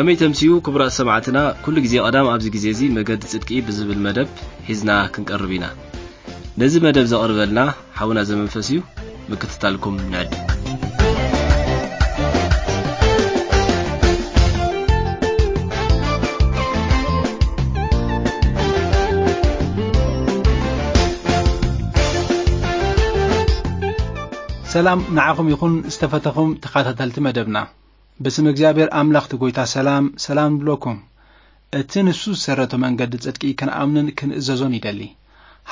ከመይ ተምስዩ ክቡራት ሰማዕትና፣ ኩሉ ግዜ ቀዳም ኣብዚ ግዜ እዚ መገዲ ጽድቂ ብዝብል መደብ ሒዝና ክንቀርብ ኢና። ነዚ መደብ ዘቕርበልና ሓውና ዘመንፈስ እዩ። ምክትታልኩም ንዕድ። ሰላም ንዓኹም ይኹን ዝተፈተኹም ተኸታተልቲ መደብና። ብስም እግዚኣብሔር ኣምላኽ እቲ ጐይታ ሰላም፣ ሰላም ንብለኩም። እቲ ንሱ ዝሰረቶ መንገዲ ጽድቂ ክንኣምንን ክንእዘዞን ይደሊ።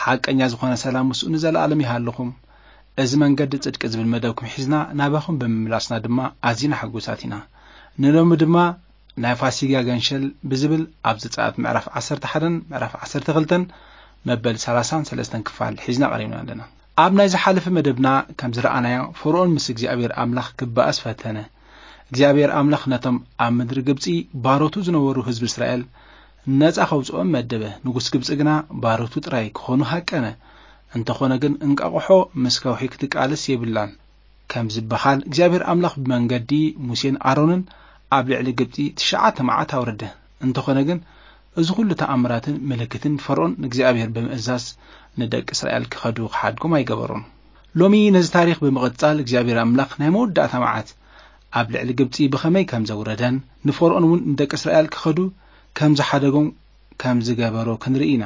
ሓቀኛ ዝኾነ ሰላም ምስኡ ንዘለኣለም ይሃልኹም። እዚ መንገዲ ጽድቂ ዝብል መደብኩም ሒዝና ናባኹም ብምምላስና ድማ ኣዚና ሕጉሳት ኢና። ንሎሚ ድማ ናይ ፋሲጋ ገንሸል ብዝብል ኣብ ዘጸኣት ምዕራፍ ዓሰርተ ሓደን ምዕራፍ ዓሰርተ ክልተን መበል ሰላሳን ሰለስተን ክፋል ሒዝና ቀሪብና ኣለና። ኣብ ናይ ዝሓለፈ መደብና ከም ዝረኣናዮ፣ ፈርኦን ምስ እግዚኣብሔር ኣምላኽ ክበኣስ ፈተነ። እግዚኣብሔር ኣምላኽ ነቶም ኣብ ምድሪ ግብጺ ባሮቱ ዝነበሩ ህዝቢ እስራኤል ነጻ ከውጽኦም መደበ። ንጉስ ግብጺ ግና ባሮቱ ጥራይ ክኾኑ ሃቀነ። እንተኾነ ግን እንቃቑሖ ምስ ከውሒ ክትቃለስ የብላን ከም ዝበሃል፣ እግዚኣብሔር ኣምላኽ ብመንገዲ ሙሴን ኣሮንን ኣብ ልዕሊ ግብጺ ትሽዓተ መዓት ኣውረደ። እንተኾነ ግን እዚ ኩሉ ተኣምራትን ምልክትን ፈርኦን ንእግዚኣብሔር ብምእዛዝ ንደቂ እስራኤል ክኸዱ ክሓድጎም ኣይገበሮን። ሎሚ ነዚ ታሪኽ ብምቕጻል እግዚኣብሔር ኣምላኽ ናይ መወዳእታ መዓት ኣብ ልዕሊ ግብጺ ብኸመይ ከም ዘውረደን ንፈርኦን እውን ንደቂ እስራኤል ክኸዱ ከም ዝሓደጎም ከም ዝገበሮ ክንርኢ ኢና።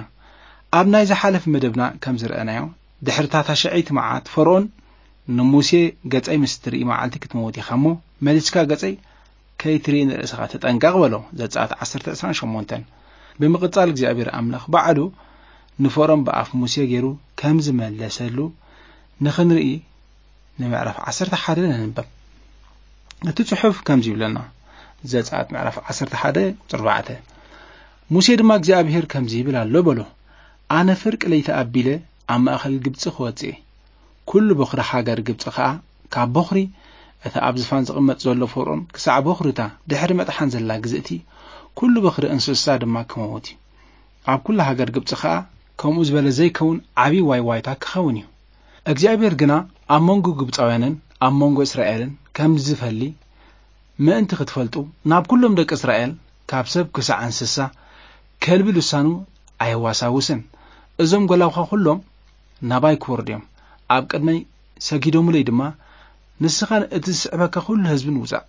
ኣብ ናይ ዝሓለፈ መደብና ከም ዝረኣናዮ ድሕሪ እታ ታሽዐይቲ መዓት ፈርኦን ንሙሴ ገጸይ ምስ ትርኢ መዓልቲ ክትመውት ኢኻ እሞ መሊስካ ገጸይ ከይትርኢ ንርእስኻ ተጠንቀቕ በሎ። ዘጸኣት ዓሰርተ ዕስራን ሸሞንተን። ብምቕጻል እግዚኣብሔር ኣምላኽ ባዕሉ ንፈርኦን ብኣፍ ሙሴ ገይሩ ከም ዝመለሰሉ ንኽንርኢ ንምዕራፍ ዓሰርተ ሓደ ነንበብ። እቲ ጽሑፍ ከምዚ ይብለና። ዘጸኣት ምዕራፍ ዓሰርተ ሓደ ቁጽሪ ኣርባዕተ። ሙሴ ድማ እግዚኣብሔር ከምዚ ይብል ኣሎ በሎ። ኣነ ፍርቂ ለይቲ ኣቢለ ኣብ ማእከል ግብጺ ክወጽእ እየ። ኩሉ በኹሪ ሃገር ግብጺ ኸኣ ካብ በኹሪ እቲ ኣብ ዝፋን ዝቕመጥ ዘሎ ፈርኦን ክሳዕ በኹሪ እታ ድሕሪ መጥሓን ዘላ ግዝእቲ ኩሉ በኹሪ እንስሳ ድማ ክመውት እዩ። ኣብ ኩሉ ሃገር ግብጺ ኸኣ ከምኡ ዝበለ ዘይከውን ዓብዪ ዋይዋይታ ክኸውን እዩ። እግዚኣብሔር ግና ኣብ መንጎ ግብጻውያንን ኣብ መንጎ እስራኤልን ከም ዝፈሊ ምእንቲ ክትፈልጡ ናብ ኩሎም ደቂ እስራኤል ካብ ሰብ ክሳዕ እንስሳ ከልቢ ልሳኑ ኣየዋሳውስን። እዞም ጐላውኻ ኩሎም ናባይ ክወርዱ እዮም። ኣብ ቅድመይ ሰጊዶምለይ ድማ ንስኻን እቲ ዝስዕበካ ኩሉ ህዝብን ውጻእ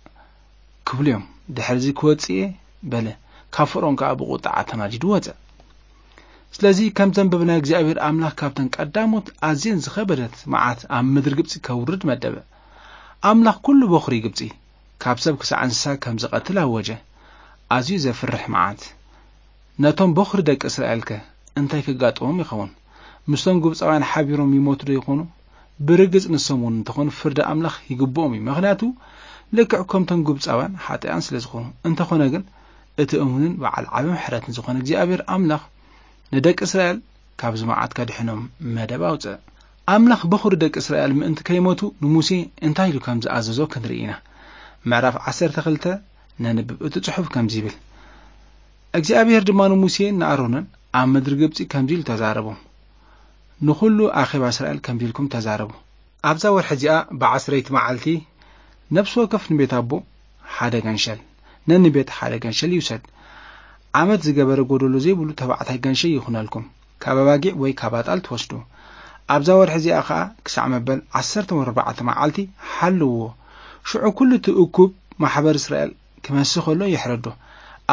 ክብሉ እዮም። ድሕርዚ ክወጽእ እየ በለ። ካብ ፈርኦን ከኣ ብቑጥዓ ተናዲዱ ወጸ። ስለዚ ከም ዘንበብና እግዚኣብሔር ኣምላኽ ካብተን ቀዳሞት ኣዝየን ዝኸበደት መዓት ኣብ ምድሪ ግብጺ ከውርድ መደበ። ኣምላኽ ኩሉ በኹሪ ግብጺ ካብ ሰብ ክሳዕ እንስሳ ከም ዝቐትል ኣወጀ። ኣዝዩ ዘፍርሕ መዓት። ነቶም በኹሪ ደቂ እስራኤልከ እንታይ ክጋጥሞም ይኸውን? ምስቶም ግብጻውያን ሓቢሮም ይሞቱ ዶ ይኾኑ? ብርግጽ ንሶም እውን እንተኾኑ ፍርዲ ኣምላኽ ይግብኦም እዩ። ምኽንያቱ ልክዕ ከምቶም ግብጻውያን ሓጢኣን ስለ ዝኾኑ። እንተኾነ ግን እቲ እሙንን በዓል ዓቢ ምሕረትን ዝኾነ እግዚኣብሔር ኣምላኽ ንደቂ እስራኤል ካብዚ መዓት ከድሕኖም መደብ ኣውጽእ። ኣምላኽ በኹሪ ደቂ እስራኤል ምእንቲ ከይሞቱ ንሙሴ እንታይ ኢሉ ከም ዝኣዘዞ ክንርኢ ኢና። ምዕራፍ ዓሰርተ ክልተ ነንብብ። እቲ ጽሑፍ ከምዚ ይብል። እግዚኣብሔር ድማ ንሙሴን ንኣሮንን ኣብ ምድሪ ግብጺ ከምዚ ኢሉ ተዛረቦም። ንኹሉ ኣኼባ እስራኤል ከምዚ ኢልኩም ተዛረቡ። ኣብዛ ወርሒ እዚኣ ብዓስረይቲ መዓልቲ ነፍሲ ወከፍ ንቤት ኣቦ ሓደ ገንሸል፣ ነንቤት ሓደ ገንሸል ይውሰድ። ዓመት ዝገበረ ጎደሎ ዘይብሉ ተባዕታይ ገንሸል ይኹነልኩም፣ ካብ ኣባጊዕ ወይ ካብ ኣጣል ትወስዱ። ኣብዛ ወርሒ እዚኣ ኸኣ ክሳዕ መበል ዓሰርተ ወርባዕተ መዓልቲ ሓልዎ። ሽዑ ኩሉ እቲ እኩብ ማሕበር እስራኤል ክመስህ ከሎ ይሕረዶ።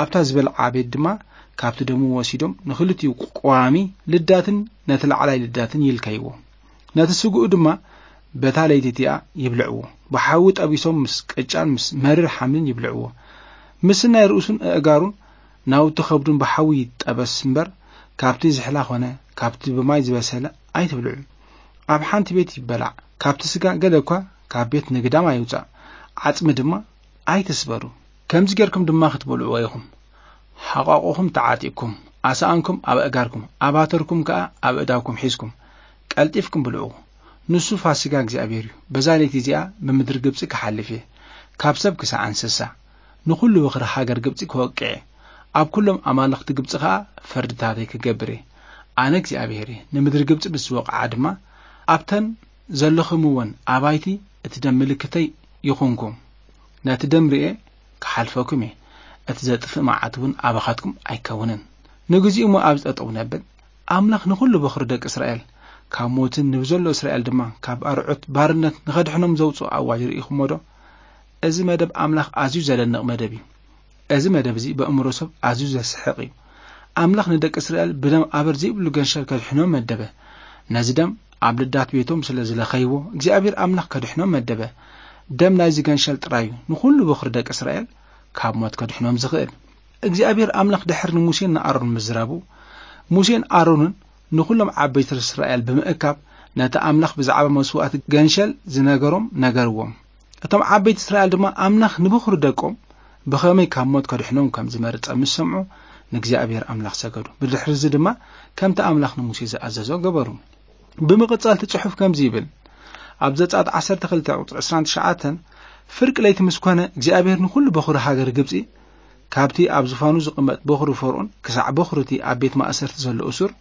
ኣብታ ዝበልዓ ቤት ድማ ካብቲ ደሙ ወሲዶም ንኽልቲኡ ቀዋሚ ልዳትን ነቲ ላዕላይ ልዳትን ይልከይዎ። ነቲ ስግኡ ድማ በታ ለይቲ እቲኣ ይብልዕዎ። ብሓዊ ጠቢሶም ምስ ቅጫን ምስ መሪር ሓምልን ይብልዕዎ። ምስናይ ርእሱን ኣእጋሩን ናውቲ ከብዱን ብሓዊ ይጠበስ እምበር፣ ካብቲ ዝሕላ ኾነ ካብቲ ብማይ ዝበሰለ ኣይትብልዑ። ኣብ ሓንቲ ቤት ይበላዕ። ካብቲ ስጋ ገለ እኳ ካብ ቤት ንግዳም ኣይውጻእ። ዓጽሚ ድማ ኣይትስበሩ። ከምዚ ጌርኩም ድማ ክትበልዕዎ ኢኹም። ሓቋቑኹም ተዓጢቕኩም፣ ኣሳኣንኩም ኣብ ኣእጋርኩም፣ ኣባተርኩም ከኣ ኣብ ኣእዳውኩም ሒዝኩም፣ ቀልጢፍኩም ብልዑ። ንሱ ፋሲጋ እግዚኣብሔር እዩ። በዛ ለይቲ እዚኣ ብምድሪ ግብጺ ክሓልፍ እየ፣ ካብ ሰብ ክሳዕ እንስሳ፣ ንኹሉ በኽሪ ሃገር ግብጺ ክወቅዕ እየ። ኣብ ኩሎም ኣማልኽቲ ግብጺ ኸኣ ፍርድታተይ ክገብር እየ። ኣነ እግዚኣብሔር እየ። ንምድሪ ግብጺ ምስ ዝወቕዓ ድማ፣ ኣብተን ዘለኹምወን ኣባይቲ እቲ ደም ምልክተይ ይኹንኩም። ነቲ ደም ርእየ ክሓልፈኩም እየ። እቲ ዘጥፍእ መዓት እውን ኣባኻትኩም ኣይከውንን። ንግዚኡ እሞ ኣብዚ ጠጠው ነብል። ኣምላኽ ንኹሉ በኹሪ ደቂ እስራኤል ካብ ሞትን ንብዘሎ እስራኤል ድማ ካብ ኣርዑት ባርነት ንኸድሕኖም ዘውፅኦ ኣዋጅ ርኢኹሞ ዶ? እዚ መደብ ኣምላኽ ኣዝዩ ዘደንቕ መደብ እዩ። እዚ መደብ እዚ በእምሮ ሰብ ኣዝዩ ዘስሕቕ እዩ። ኣምላኽ ንደቂ እስራኤል ብደም ኣበር ዘይብሉ ገንሸል ከድሕኖም መደበ። ነዚ ደም ኣብ ልዳት ቤቶም ስለ ዝለኸይዎ እግዚኣብሔር ኣምላኽ ከድሕኖም መደበ። ደም ናይዚ ገንሸል ጥራይ እዩ ንኹሉ በኹሪ ደቂ እስራኤል ካብ ሞት ከድሕኖም ዝኽእል። እግዚኣብሔር ኣምላኽ ድሕር ንሙሴን ንኣሮን ምዝራቡ፣ ሙሴን ኣሮንን ንኹሎም ዓበይቲ እስራኤል ብምእካብ ነቲ ኣምላኽ ብዛዕባ መስዋእቲ ገንሸል ዝነገሮም ነገርዎም። እቶም ዓበይቲ እስራኤል ድማ ኣምላኽ ንበኹሪ ደቆም ብኸመይ ካብ ሞት ከድሕኖም ከም ዝመርጸ ምስ ሰምዑ ንእግዚኣብሔር ኣምላኽ ሰገዱ። ብድሕሪ እዚ ድማ ከምቲ ኣምላኽ ንሙሴ ዝኣዘዞ ገበሩ። ብምቕጻል እቲ ጽሑፍ ከምዚ ይብል፣ ኣብ ዘጸኣት ዓሰርተ ክልተ ቁጽሪ ዕስራን ትሽዓተን፣ ፍርቂ ለይቲ ምስ ኮነ እግዚኣብሔር ንኹሉ በኹሪ ሃገር ግብጺ ካብቲ ኣብ ዝፋኑ ዝቕመጥ በኹሪ ፈርኦን ክሳዕ በኹሪ እቲ ኣብ ቤት ማእሰርቲ ዘሎ እሱር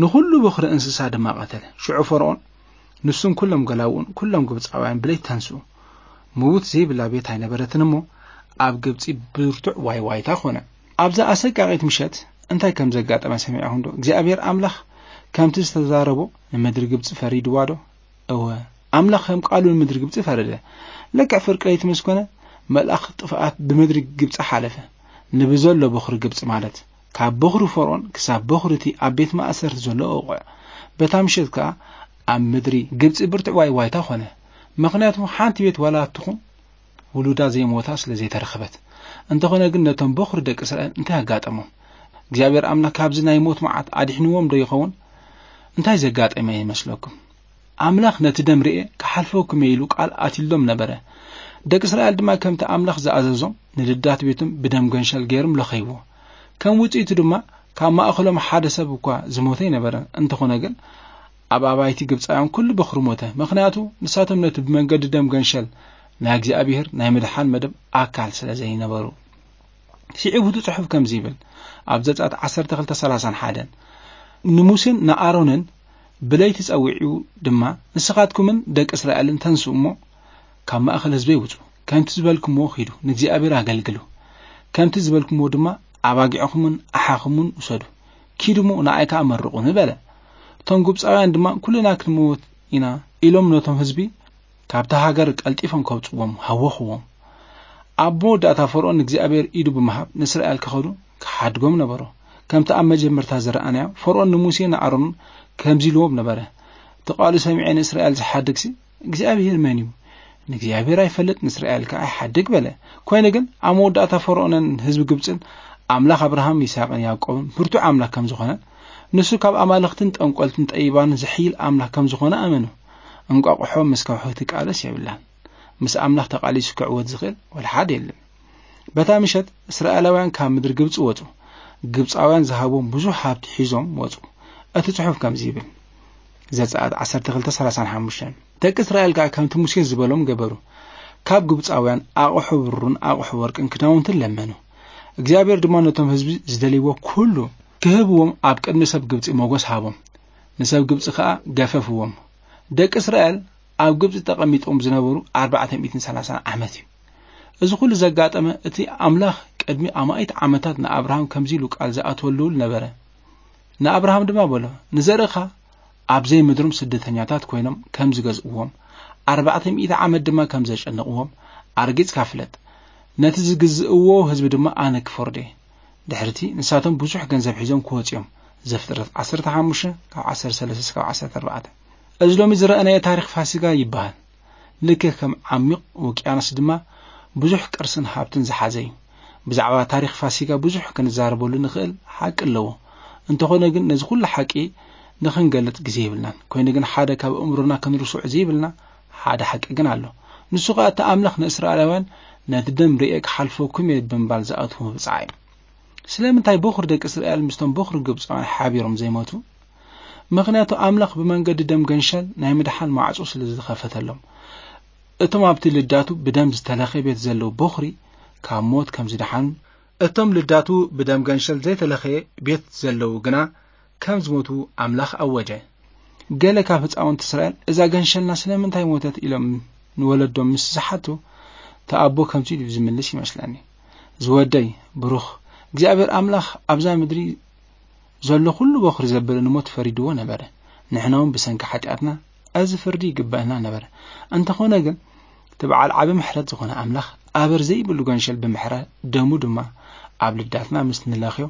ንኹሉ በኹሪ እንስሳ ድማ ቀተለ። ሽዑ ፈርኦን ንሱን ኩሎም ገላውኡን ኩሎም ግብጻውያን ብለይቲ ተንስኡ። ምዉት ዘይብላ ቤት ኣይነበረትን እሞ ኣብ ግብጺ ብርቱዕ ዋይ ዋይታ ኾነ። ኣብዛ ኣሰቃቒት ምሸት እንታይ ከም ዘጋጠመ ሰሚዕኹም ዶ? እግዚኣብሔር ኣምላኽ ከምቲ ዝተዛረቦ ንምድሪ ግብጺ ፈሪድዋ ዶ? እወ፣ ኣምላኽ ከም ቃሉ ንምድሪ ግብጺ ፈረደ። ልክዕ ፍርቂ ለይቲ ምስ ኮነ መልኣኽ ጥፍኣት ብምድሪ ግብጺ ሓለፈ። ንብዘሎ በኹሪ ግብጺ ማለት ካብ በኹሪ ፈርኦን ክሳብ በኹሪ እቲ ኣብ ቤት ማእሰርቲ ዘሎ እቑዕ። በታ ምሸት ከኣ ኣብ ምድሪ ግብጺ ብርቱዕ ዋይ ዋይታ ኾነ። ምኽንያቱ ሓንቲ ቤት ዋላ ትኹን ውሉዳ ዘይሞታ ስለ ዘይተረኸበት። እንተኾነ ግን ነቶም በኹሪ ደቂ እስራኤል እንታይ ኣጋጠሞም? እግዚኣብሔር ኣምላኽ ካብዚ ናይ ሞት መዓት ኣድሕንዎም ዶ ይኸውን? እንታይ ዘጋጠመ ይመስለኩም? ኣምላኽ ነቲ ደም ርኤ ክሓልፈኩም እየ ኢሉ ቃል ኣትሎም ነበረ። ደቂ እስራኤል ድማ ከምቲ ኣምላኽ ዝኣዘዞም ንልዳት ቤቶም ብደም ገንሸል ገይሮም ለኸይዎ። ከም ውጽኢቱ ድማ ካብ ማእኸሎም ሓደ ሰብ እኳ ዝሞተ ኣይነበረን። እንተኾነ ግን ኣብ ኣባይቲ ግብጻውያን ኩሉ በኹሪ ሞተ። ምኽንያቱ ንሳቶም ነቲ ብመንገዲ ደም ገንሸል ናይ እግዚኣብሔር ናይ ምድሓን መደብ ኣካል ስለ ዘይነበሩ። ስዒቡ እቲ ጽሑፍ ከምዚ ይብል፣ ኣብ ዘጸኣት ዓሰርተ ክልተ ሰላሳን ሓደን፣ ንሙሴን ንኣሮንን ብለይቲ ጸዊዑ ድማ፣ ንስኻትኩምን ደቂ እስራኤልን ተንስኡ እሞ፣ ካብ ማእከል ህዝበይ ውጹ፣ ከምቲ ዝበልኩምዎ ኺዱ፣ ንእግዚኣብሔር ኣገልግሉ። ከምቲ ዝበልኩምዎ ድማ ኣባጊዕኹምን ኣሓኹምን ውሰዱ፣ ኪዱ እሞ ንኣይ ከኣ መርቑኒ በለ። እቶም ግብጻውያን ድማ፣ ኩልና ክንመውት ኢና ኢሎም ነቶም ህዝቢ ካብታ ሃገር ቀልጢፎም ከውጽዎም ሃወኽዎም። ኣብ መወዳእታ ፈርኦን ንእግዚኣብሔር ኢዱ ብምሃብ ንእስራኤል ክኸዱ ክሓድጎም ነበሮ። ከምቲ ኣብ መጀመርታ ዝረኣናዮ፣ ፈርኦን ንሙሴ ንኣሮን ከምዚ ኢልዎም ነበረ፣ እቲ ቃሉ ሰሚዐ ንእስራኤል ዝሓድግሲ እግዚኣብሔር መን እዩ? ንእግዚኣብሔር ኣይፈልጥ፣ ንእስራኤል ከኣ ኣይሓድግ በለ። ኮይኑ ግን ኣብ መወዳእታ ፈርኦንን ህዝቢ ግብጽን ኣምላኽ ኣብርሃም፣ ይስሐቅን ያዕቆብን ብርቱዕ ኣምላኽ ከም ዝኾነ፣ ንሱ ካብ ኣማልኽትን ጠንቆልትን ጠቢባንን ዝሕይል ኣምላኽ ከም ዝኾነ ኣመኑ። እንቋቑሖ ምስ ከውሒ ትቃለስ የብላን። ምስ ኣምላኽ ተቃሊሱ ክዕወት ዝኽእል ወላ ሓደ የለን። በታ ምሸት እስራኤላውያን ካብ ምድሪ ግብጺ ወጹ። ግብጻውያን ዝሃቦም ብዙሕ ሃብቲ ሒዞም ወጹ። እቲ ጽሑፍ ከምዚ ይብል፣ ዘጸኣት ዓሰርተ ክልተ ሰላሳን ሓሙሽተን፣ ደቂ እስራኤል ከኣ ከምቲ ሙሴ ዝበሎም ገበሩ። ካብ ግብጻውያን ኣቕሑ ብሩርን ኣቕሑ ወርቅን ክዳውንትን ለመኑ። እግዚኣብሔር ድማ ነቶም ህዝቢ ዝደልይዎ ኩሉ ክህብዎም ኣብ ቅድሚ ሰብ ግብጺ ሞገስ ሃቦም። ንሰብ ግብጺ ከኣ ገፈፍዎም። ደቂ እስራኤል ኣብ ግብጺ ተቐሚጦም ዝነበሩ ኣርባዕተ ሚእትን ሰላሳን ዓመት እዩ። እዚ ኩሉ ዘጋጠመ እቲ ኣምላኽ ቅድሚ ኣማኢት ዓመታት ንኣብርሃም ከምዚ ኢሉ ቃል ዝኣተወሉ ነበረ። ንኣብርሃም ድማ በሎ፣ ንዘርእኻ ኣብ ዘይምድሮም ስደተኛታት ኮይኖም ከም ዝገዝእዎም፣ ኣርባዕተ ሚእቲ ዓመት ድማ ከም ዘጨንቕዎም ኣርጊጽካ ፍለጥ። ነቲ ዝግዝእዎ ህዝቢ ድማ ኣነ ክፈርዶ እየ። ድሕርቲ ንሳቶም ብዙሕ ገንዘብ ሒዞም ክወጹ እዮም። ዘፍጥረት ዓሰርተ ሓሙሽተ ካብ ዓሰርተ ሰለስተ እስካብ ዓሰርተ ኣርባዕተ። እዚ ሎሚ ዝረኣናዮ ታሪኽ ፋሲጋ ይበሃል። ልክዕ ከም ዓሚቕ ውቅያኖስ ድማ ብዙሕ ቅርስን ሃብትን ዝሓዘ እዩ። ብዛዕባ ታሪኽ ፋሲጋ ብዙሕ ክንዛረበሉ ንኽእል ሓቂ ኣለዎ። እንተኾነ ግን ነዚ ኩሉ ሓቂ ንኽንገልጽ ግዜ የብልናን። ኮይኑ ግን ሓደ ካብ ኣእምሮና ክንርስዖ ዘይብልና ሓደ ሓቂ ግን ኣሎ። ንሱ ኸኣ እቲ ኣምላኽ ንእስራኤላውያን ነቲ ደም ርእየ ክሓልፈኩም እየ ብምባል ዝኣትዎ ብጻዕ እዩ። ስለምንታይ በኹሪ ደቂ እስራኤል ምስቶም በኹሪ ግብጻውያን ሓቢሮም ዘይሞቱ? ምኽንያቱ ኣምላኽ ብመንገዲ ደም ገንሸል ናይ ምድሓን ማዕጾ ስለ ዝኸፈተሎም። እቶም ኣብቲ ልዳቱ ብደም ዝተለኸየ ቤት ዘለዉ በኹሪ ካብ ሞት ከም ዝደሓኑ፣ እቶም ልዳቱ ብደም ገንሸል ዘይተለኸየ ቤት ዘለዉ ግና ከም ዝሞቱ ኣምላኽ ኣወጀ። ገለ ካብ ህጻውንቲ እስራኤል፣ "እዛ ገንሸልና ስለምንታይ ሞተት?" ኢሎም ንወለዶም ምስ ዝሓቱ፣ እቲ ኣቦ ከምዚ ኢሉ ዝምልስ ይመስለኒ። ዝወደይ ብሩኽ፣ እግዚኣብሔር ኣምላኽ ኣብዛ ምድሪ ዘሎ ኩሉ በኹሪ ዘበለ ንሞት ፈሪድዎ ነበረ። ንሕና እውን ብሰንኪ ሓጢኣትና እዚ ፍርዲ ይግበአና ነበረ። እንተኾነ ግን፣ እቲ በዓል ዓቢ ምሕረት ዝኾነ ኣምላኽ ኣበር ዘይብሉ ገንሸል ብምሕረት ደሙ ድማ ኣብ ልዳትና ምስ ንለኽዮ፣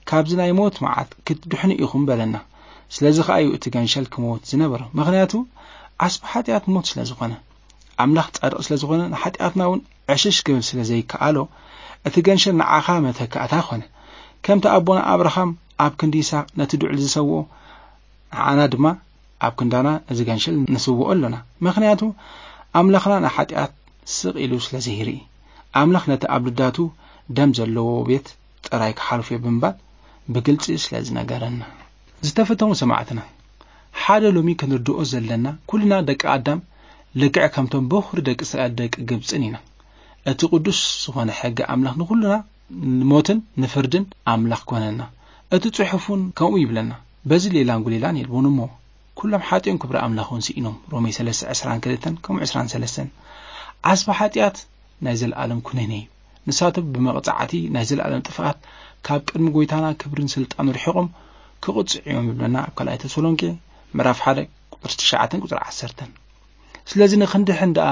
ካብዚ ናይ ሞት መዓት ክትድሕኑ ኢኹም በለና። ስለዚ ኸኣ እዩ እቲ ገንሸል ክመውት ዝነበሮ። ምኽንያቱ ዓስቢ ሓጢኣት ሞት ስለ ዝኾነ። ኣምላኽ ጻድቕ ስለ ዝኾነ፣ ንሓጢኣትና እውን ዕሽሽ ክብል ስለ ዘይከኣሎ፣ እቲ ገንሸል ንዓኻ መተካእታ ኾነ። ከምቲ ኣቦና ኣብርሃም ኣብ ክንዲ ይስሐቅ ነቲ ድዑል ዝሰውኦ፣ ንዓና ድማ ኣብ ክንዳና ነዚ ገንሸል ንስውኦ ኣሎና። ምኽንያቱ ኣምላኽና ንሓጢኣት ስቕ ኢሉ ስለ ዘይርኢ፣ ኣምላኽ ነቲ ኣብ ልዳቱ ደም ዘለዎ ቤት ጥራይ ክሓልፎ እዩ ብምባል ብግልጺ ስለ ዝነገረና። ዝተፈተሙ ሰማዕትና፣ ሓደ ሎሚ ክንርድኦ ዘለና፣ ኩልና ደቂ ኣዳም ልክዕ ከምቶም በኹሪ ደቂ እስራኤል ደቂ ግብጽን ኢና። እቲ ቅዱስ ዝኾነ ሕጊ ኣምላኽ ንኹልና ንሞትን ንፍርድን ኣምላኽ ኮነና። እቲ ጽሑፍ እውን ከምኡ ይብለና። በዚ ሌላን ጉሌላን የልቦን እሞ፣ ኩሎም ሓጢኦም ክብሪ ኣምላኽ እውን ስኢኖም። ሮሜ ሰለስተ ዕስራን ክልተን ከምኡ ዕስራን ሰለስተን። ዓስቢ ሓጢኣት ናይ ዘለኣለም ኩነኔ እዩ። ንሳቶም ብመቕጻዕቲ ናይ ዘለኣለም ጥፍኣት ካብ ቅድሚ ጎይታና ክብርን ስልጣኑ ርሒቖም ክቕጽዑ እዮም ይብለና ኣብ ካልኣይ ተሰሎንቄ ምዕራፍ ሓደ ቁጽሪ ትሽዓተን ቁጽሪ ዓሰርተን። ስለዚ ንኽንድሕን ደኣ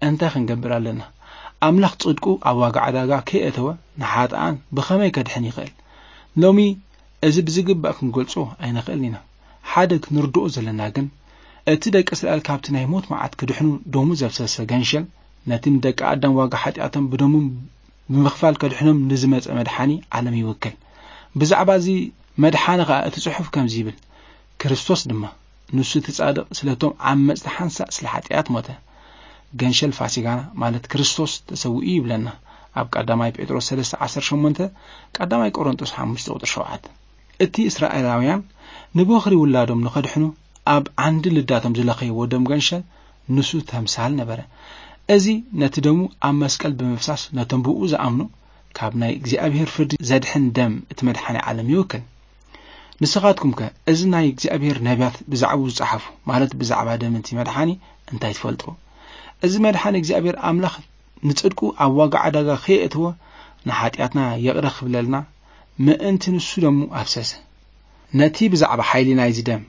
እንታይ ክንገብር ኣለና? ኣምላኽ ጽድቁ ኣብ ዋጋ ዕዳጋ ከየእተወ ንሓጥኣን ብኸመይ ከድሕን ይኽእል? ሎሚ እዚ ብዝግባእ ክንገልጾ ኣይንኽእልን ኢና። ሓደ ክንርድኦ ዘለና ግን፣ እቲ ደቂ እስራኤል ካብቲ ናይ ሞት መዓት ክድሕኑ ደሙ ዘፍሰሰ ገንሸል፣ ነቲ ንደቂ ኣዳም ዋጋ ሓጢኣቶም ብደሙ ብምኽፋል ከድሕኖም ንዝመጸ መድሓኒ ዓለም ይውክል። ብዛዕባ እዚ መድሓኒ ኸኣ እቲ ጽሑፍ ከምዚ ይብል፣ ክርስቶስ ድማ ንሱ እቲ ጻድቕ ስለቶም ዓመጽቲ ሓንሳእ ስለ ሓጢኣት ሞተ። ገንሸል ፋሲጋና ማለት ክርስቶስ ተሰዊኡ ይብለና ኣብ ቀዳማይ ጴጥሮስ ሰለስተ ዓሰርተ ሸሞንተ፣ ቀዳማይ ቆሮንጦስ ሓሙሽተ ቁጽሪ ሸውዓተ። እቲ እስራኤላውያን ንበኹሪ ውላዶም ንኸድሕኑ ኣብ ዓንዲ ልዳቶም ዝለኸይዎ ደም ገንሸል ንሱ ተምሳል ነበረ። እዚ ነቲ ደሙ ኣብ መስቀል ብምፍሳስ ነቶም ብኡ ዝኣምኑ ካብ ናይ እግዚኣብሔር ፍርዲ ዘድሕን ደም እቲ መድሓኒ ዓለም ይውክል። ንስኻትኩምከ እዚ ናይ እግዚኣብሔር ነቢያት ብዛዕባኡ ዝጸሓፉ፣ ማለት ብዛዕባ ደም እቲ መድሓኒ እንታይ ትፈልጡ? እዚ መድሓኒ እግዚኣብሔር ኣምላኽ ንጽድቁ ኣብ ዋጋ ዕዳጋ ከየእትዎ ንሓጢኣትና ይቕረ ክብለልና ምእንቲ ንሱ ደሙ ኣፍሰሰ። ነቲ ብዛዕባ ሓይሊ ናይዚ ደም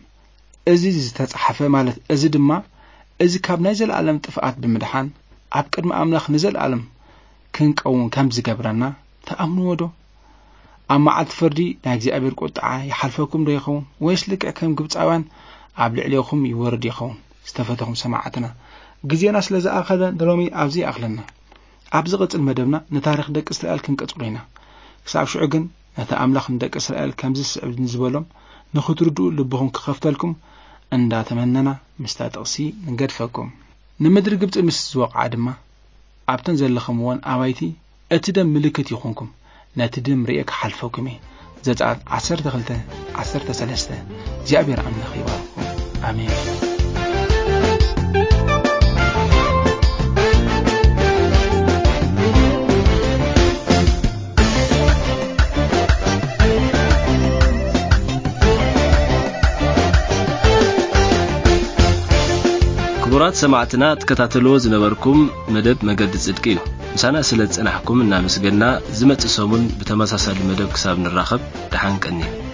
እዚ ዝተጻሕፈ፣ ማለት እዚ ድማ እዚ ካብ ናይ ዘለኣለም ጥፍኣት ብምድሓን ኣብ ቅድሚ ኣምላኽ ንዘለኣለም ክንቀውም ከም ዝገብረና ትኣምንዎ ዶ? ኣብ መዓልቲ ፍርዲ ናይ እግዚኣብሔር ቁጥዓ ይሓልፈኩም ዶ ይኸውን? ወይስ ልክዕ ከም ግብጻውያን ኣብ ልዕሌኹም ይወርድ ይኸውን? ዝተፈተኹም ሰማዕትና፣ ግዜና ስለ ዝኣኸለ ንሎሚ ኣብዚ ይኣኽለና። ኣብ ዝቕጽል መደብና ንታሪኽ ደቂ እስራኤል ክንቀጽሎ ኢና። ክሳብ ሽዑ ግን ነቲ ኣምላኽ ንደቂ እስራኤል ከምዚ ዝስዕብ ንዝበሎም ንኽትርድኡ ልብኹም ክኸፍተልኩም እንዳተመነና ምስታ ጥቕሲ ንገድፈኩም። ንምድሪ ግብጺ ምስ ዝወቕዓ ድማ ኣብተን ዘለኽምወን ኣባይቲ እቲ ደም ምልክት ይኹንኩም፣ ነቲ ደም ርእየ ክሓልፈኩም እየ። ዘጸኣት ዓሰርተ ክልተ ዓሰርተ ሰለስተ። እግዚኣብሔር ኣምላኽ ይባርኩም። ኣሜን። ክቡራት ሰማዕትና፣ ትከታተልዎ ዝነበርኩም መደብ መገዲ ጽድቂ እዩ። ምሳና ስለ ዝጸናሕኩም እናመስገና፣ ዝመጽእ ሰሙን ብተመሳሳሊ መደብ ክሳብ ንራኸብ፣ ደሓን ቀንዩ።